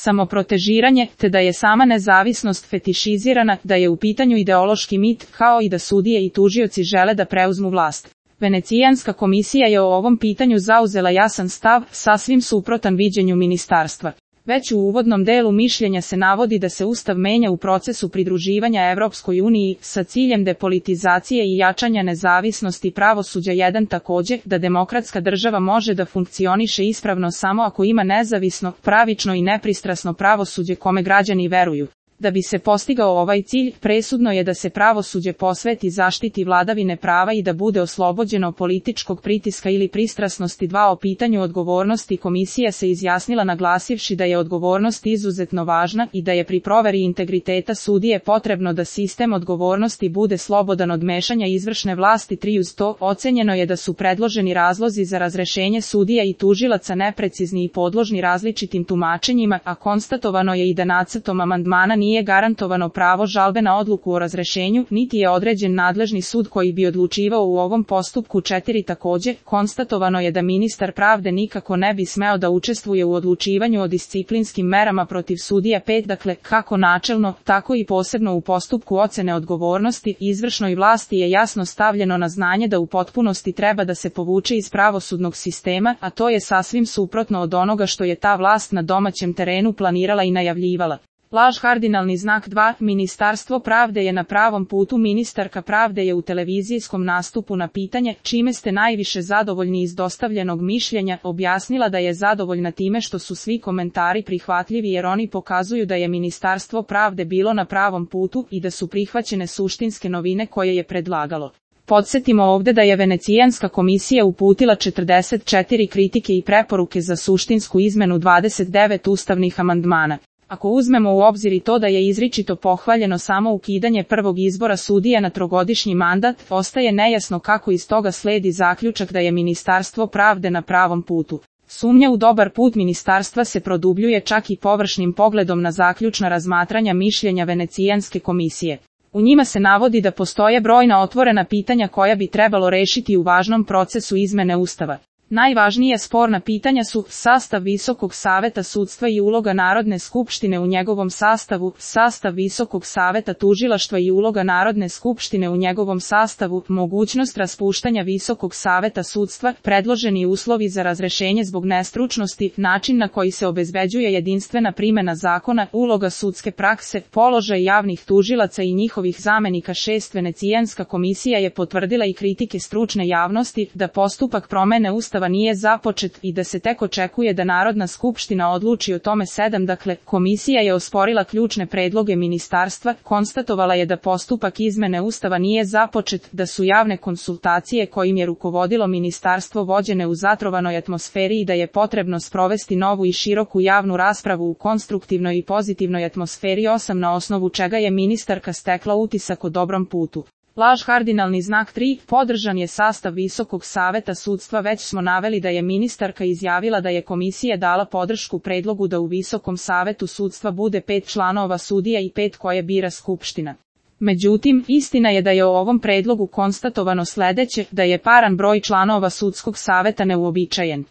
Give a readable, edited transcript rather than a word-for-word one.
samoprotežiranje, te da je sama nezavisnost fetišizirana, da je u pitanju ideološki mit, kao i da sudije i tužioci žele da preuzmu vlast. Venecijanska komisija je o ovom pitanju zauzela jasan stav, sasvim suprotan viđenju ministarstva. Već u uvodnom delu mišljenja se navodi da se Ustav menja u procesu pridruživanja Evropskoj uniji sa ciljem depolitizacije i jačanja nezavisnosti pravosuđa. Jedan takođe, da demokratska država može da funkcioniše ispravno samo ako ima nezavisno, pravično i nepristrasno pravosuđe kome građani veruju. Da bi se postigao ovaj cilj, presudno je da se pravosuđe posveti zaštiti vladavine prava i da bude oslobođeno političkog pritiska ili pristrasnosti. O pitanju odgovornosti komisija se izjasnila naglasivši da je odgovornost izuzetno važna i da je pri proveri integriteta sudije potrebno da sistem odgovornosti bude slobodan od mešanja izvršne vlasti. Uz to, ocenjeno je da su predloženi razlozi za razrešenje sudija i tužilaca neprecizni i podložni različitim tumačenjima, a konstatovano je i da nacrtom amandmana nije garantovano pravo žalbe na odluku o razrešenju, niti je određen nadležni sud koji bi odlučivao u ovom postupku. 4. Takođe, konstatovano je da ministar pravde nikako ne bi smeo da učestvuje u odlučivanju o disciplinskim merama protiv sudija. 5. Dakle, kako načelno, tako i posebno u postupku ocene odgovornosti, izvršnoj vlasti je jasno stavljeno na znanje da u potpunosti treba da se povuče iz pravosudnog sistema, a to je sasvim suprotno od onoga što je ta vlast na domaćem terenu planirala i najavljivala. Laž kardinalni znak 2. Ministarstvo pravde je na pravom putu. Ministarka pravde je u televizijskom nastupu na pitanje čime ste najviše zadovoljni iz dostavljenog mišljenja objasnila da je zadovoljna time što su svi komentari prihvatljivi jer oni pokazuju da je Ministarstvo pravde bilo na pravom putu i da su prihvaćene suštinske novine koje je predlagalo. Podsjetimo ovde da je Venecijanska komisija uputila 44 kritike i preporuke za suštinsku izmenu 29 ustavnih amandmana. Ako uzmemo u obzir i to da je izričito pohvaljeno samo ukidanje prvog izbora sudija na trogodišnji mandat, ostaje nejasno kako iz toga sledi zaključak da je Ministarstvo pravde na pravom putu. Sumnja u dobar put ministarstva se produbljuje čak i površnim pogledom na zaključna razmatranja mišljenja Venecijanske komisije. U njima se navodi da postoje brojna otvorena pitanja koja bi trebalo rešiti u važnom procesu izmene Ustava. Najvažnije sporna pitanja su sastav Visokog saveta sudstva i uloga Narodne skupštine u njegovom sastavu, sastav Visokog saveta tužilaštva i uloga Narodne skupštine u njegovom sastavu, mogućnost raspuštanja Visokog saveta sudstva, predloženi uslovi za razrešenje zbog nestručnosti, način na koji se obezbeđuje jedinstvena primena zakona, uloga sudske prakse, položaj javnih tužilaca i njihovih zamenika. 6. Venecijanska komisija je potvrdila i kritike stručne javnosti da postupak promene Ustava nije započet i da se tek očekuje da Narodna skupština odluči o tome. 7. Dakle, komisija je osporila ključne predloge ministarstva, konstatovala je da postupak izmene Ustava nije započet, da su javne konsultacije kojim je rukovodilo ministarstvo vođene u zatrovanoj atmosferi i da je potrebno sprovesti novu i široku javnu raspravu u konstruktivnoj i pozitivnoj atmosferi. 8. Na osnovu čega je ministarka stekla utisak o dobrom putu. Laž kardinalni znak 3. Podržan je sastav Visokog saveta sudstva. Već smo naveli da je ministarka izjavila da je komisija dala podršku predlogu da u Visokom savetu sudstva bude 5 članova sudija i 5 koje bira Skupština. Međutim, istina je da je o ovom predlogu konstatovano sledeće, da je paran broj članova sudskog saveta neuobičajen.